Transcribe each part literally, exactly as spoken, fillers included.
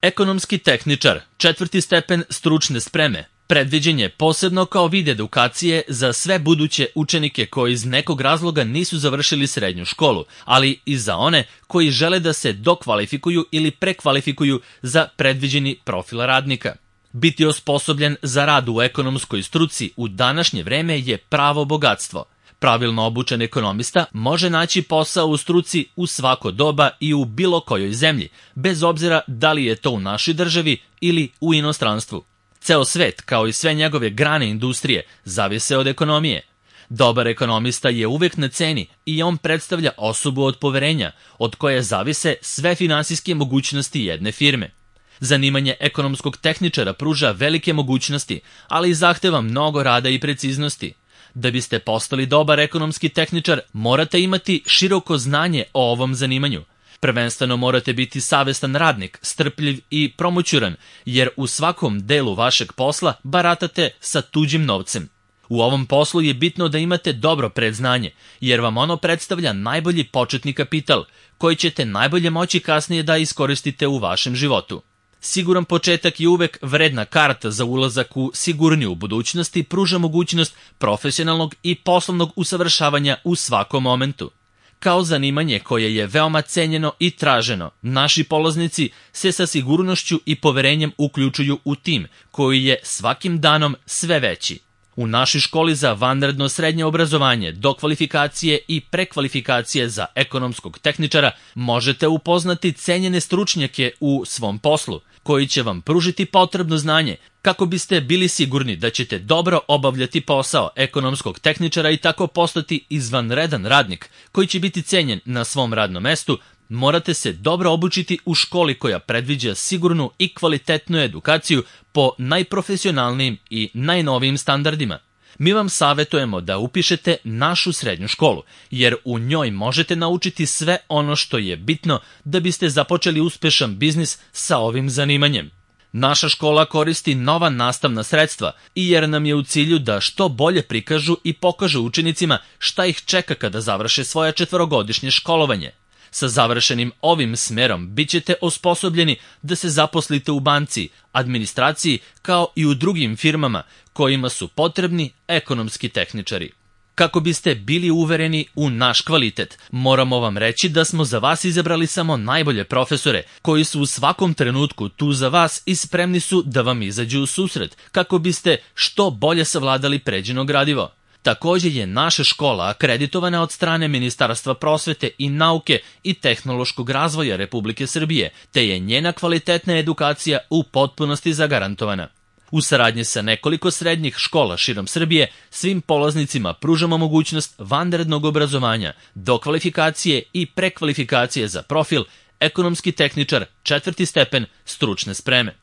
Ekonomski tehničar, četvrti stepen stručne spreme, predviđen je posebno kao vid edukacije za sve buduće učenike koji iz nekog razloga nisu završili srednju školu, ali i za one koji žele da se dokvalifikuju ili prekvalifikuju za predviđeni profil radnika. Biti osposobljen za rad u ekonomskoj struci u današnje vreme je pravo bogatstvo. Pravilno obučen ekonomista može naći posao u struci u svako doba i u bilo kojoj zemlji, bez obzira da li je to u našoj državi ili u inostranstvu. Ceo svet, kao i sve njegove grane industrije, zavise od ekonomije. Dobar ekonomista je uvek na ceni i on predstavlja osobu od poverenja, od koje zavise sve finansijske mogućnosti jedne firme. Zanimanje ekonomskog tehničara pruža velike mogućnosti, ali i zahteva mnogo rada i preciznosti. Da biste postali dobar ekonomski tehničar, morate imati široko znanje o ovom zanimanju. Prvenstveno morate biti savestan radnik, strpljiv i promućuran, jer u svakom delu vašeg posla baratate sa tuđim novcem. U ovom poslu je bitno da imate dobro predznanje, jer vam ono predstavlja najbolji početni kapital, koji ćete najbolje moći kasnije da iskoristite u vašem životu. Siguran početak je uvek vredna karta za ulazak u sigurniju budućnost i pruža mogućnost profesionalnog i poslovnog usavršavanja u svakom momentu. Kao zanimanje koje je veoma cenjeno i traženo, naši polaznici se sa sigurnošću i poverenjem uključuju u tim koji je svakim danom sve veći. U našoj školi za vanredno srednje obrazovanje, dokvalifikacije i prekvalifikacije za ekonomskog tehničara možete upoznati cenjene stručnjake u svom poslu, koji će vam pružiti potrebno znanje kako biste bili sigurni da ćete dobro obavljati posao ekonomskog tehničara i tako postati izvanredan radnik koji će biti cenjen na svom radnom mestu. Morate se dobro obučiti u školi koja predviđa sigurnu i kvalitetnu edukaciju po najprofesionalnijim i najnovijim standardima. Mi vam savjetujemo da upišete našu srednju školu, jer u njoj možete naučiti sve ono što je bitno da biste započeli uspešan biznis sa ovim zanimanjem. Naša škola koristi nova nastavna sredstva i jer nam je u cilju da što bolje prikažu i pokažu učenicima šta ih čeka kada završe svoje četvorogodišnje školovanje. Sa završenim ovim smerom bit ćete osposobljeni da se zaposlite u banci, administraciji kao i u drugim firmama kojima su potrebni ekonomski tehničari. Kako biste bili uvereni u naš kvalitet, moramo vam reći da smo za vas izabrali samo najbolje profesore koji su u svakom trenutku tu za vas i spremni su da vam izađu u susret kako biste što bolje savladali pređeno gradivo. Također je naša škola akreditovana od strane Ministarstva prosvete i nauke i tehnološkog razvoja Republike Srbije, te je njena kvalitetna edukacija u potpunosti zagarantovana. U saradnji sa nekoliko srednjih škola širom Srbije, svim polaznicima pružamo mogućnost vanrednog obrazovanja, dokvalifikacije i prekvalifikacije za profil ekonomski tehničar četvrti stepen stručne spreme.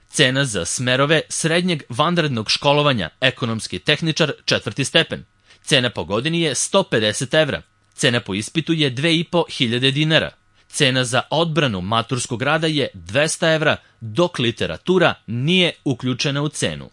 Cena za smerove srednjeg vanrednog školovanja ekonomski tehničar četvrti stepen. Cena po godini je sto pedeset evra. Cena po ispitu je dve i po hiljade dinara. Cena za odbranu maturskog rada je dvesta evra, dok literatura nije uključena u cenu.